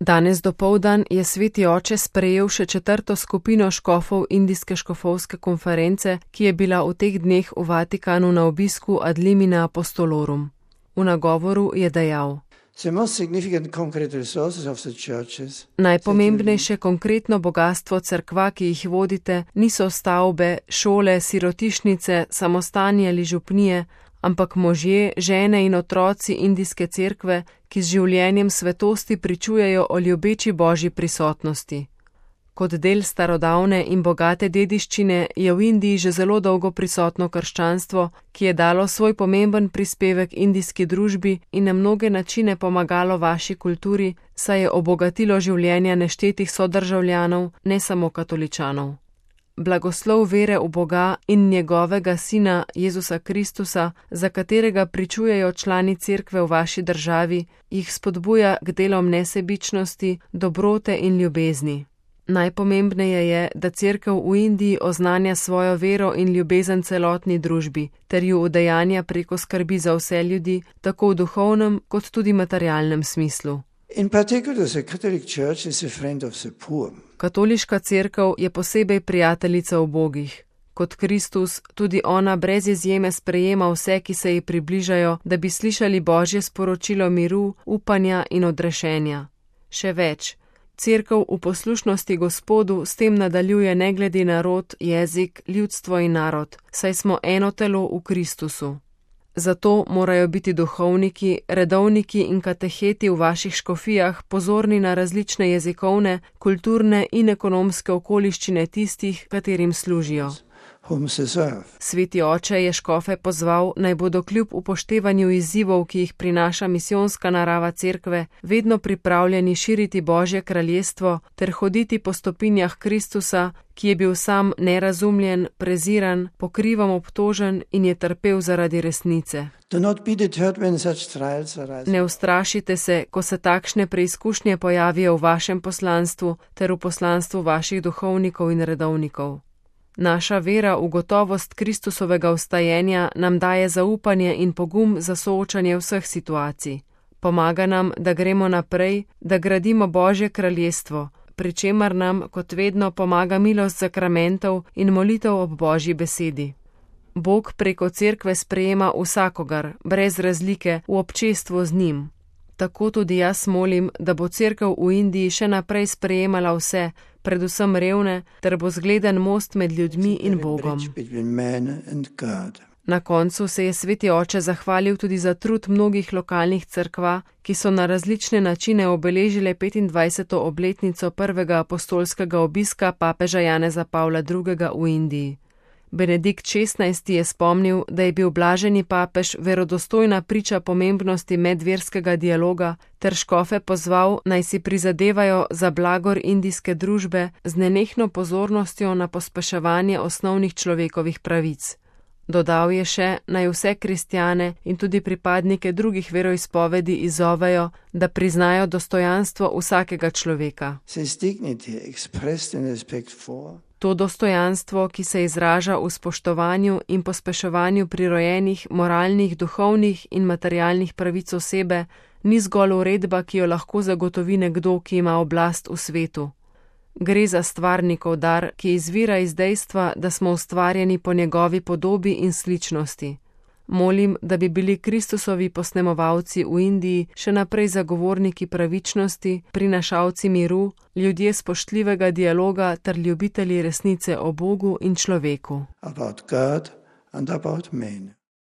Danes dopoldan je sveti oče sprejel še 4. skupino škofov Indijske škofovske konference, ki je bila v teh dneh v Vatikanu na obisku ad limina apostolorum. V nagovoru je dejal: Najpomembnejše konkretno bogatstvo cerkva, ki jih vodite, niso stavbe, šole, sirotišnice, samostani ali župnije, ampak možje, žene in otroci indijske cerkve, ki z življenjem svetosti pričujejo o ljubeči Božji prisotnosti. Kot del starodavne in bogate dediščine je v Indiji že zelo dolgo prisotno krščanstvo, ki je dalo svoj pomemben prispevek indijski družbi in na mnoge načine pomagalo vaši kulturi, saj je obogatilo življenja neštetih sodržavljanov, ne samo katoličanov. Blagoslov vere v Boga in njegovega Sina Jezusa Kristusa, za katerega pričujejo člani cerkve v vaši državi, jih spodbuja k delom nesebičnosti, dobrote in ljubezni. Najpomembneje je, da cerkev v Indiji oznanja svojo vero in ljubezen celotni družbi, ter ju udejanja preko skrbi za vse ljudi, tako v duhovnem kot tudi materialnem smislu. Katoliška cerkev je posebej prijateljica ubogih. Kot Kristus, tudi ona brez izjeme sprejema vse, ki se ji približajo, da bi slišali Božje sporočilo miru, upanja in odrešenja. Še več, cerkev v poslušnosti Gospodu s tem nadaljuje ne glede na rod, jezik, ljudstvo in narod, saj smo eno telo v Kristusu. Zato morajo biti duhovniki, redovniki in kateheti v vaših škofijah pozorni na različne jezikovne, kulturne in ekonomske okoliščine tistih, katerim služijo. Sveti oče je škofe pozval, naj bodo kljub upoštevanju izzivov, ki jih prinaša misijonska narava cerkve, vedno pripravljeni širiti Božje kraljestvo ter hoditi po stopinjah Kristusa, ki je bil sam nerazumljen, preziran, pokrivom obtožen in je trpel zaradi resnice. Ne ustrašite se, ko se takšne preizkušnje pojavijo v vašem poslanstvu ter v poslanstvu vaših duhovnikov in redovnikov. Naša vera v gotovost Kristusovega vstajenja nam daje zaupanje in pogum za soočanje vseh situacij. Pomaga nam, da gremo naprej, da gradimo Božje kraljestvo, pri čemer nam, kot vedno, pomaga milost sakramentov in molitev ob Božji besedi. Bog preko cerkve sprejema vsakogar, brez razlike, v občestvu z njim. Tako tudi jaz molim, da bo cerkev v Indiji še naprej sprejemala vse, predvsem revne, ter bo zgleden most med ljudmi in Bogom. Na koncu se je sveti oče zahvalil tudi za trud mnogih lokalnih cerkva, ki so na različne načine obeležile 25. obletnico prvega apostolskega obiska papeža Janeza Pavla II. V Indiji. Benedikt XVI. Je spomnil, da je bil blaženi papež verodostojna priča pomembnosti medverskega dialoga ter škofe pozval, naj si prizadevajo za blagor indijske družbe z nenehno pozornostjo na pospeševanje osnovnih človekovih pravic. Dodal je še, naj vse kristjane in tudi pripadnike drugih veroizpovedi izzovejo, da priznajo dostojanstvo vsakega človeka. To dostojanstvo, ki se izraža v spoštovanju in pospeševanju prirojenih, moralnih, duhovnih in materialnih pravic osebe, ni zgolj uredba, ki jo lahko zagotovi nekdo, ki ima oblast v svetu. Gre za stvarnikov dar, ki izvira iz dejstva, da smo ustvarjeni po njegovi podobi in sličnosti. Molim, da bi bili Kristusovi posnemovalci v Indiji še naprej zagovorniki pravičnosti, prinašalci miru, ljudje spoštljivega dialoga ter ljubitelji resnice o Bogu in človeku. About God and about men.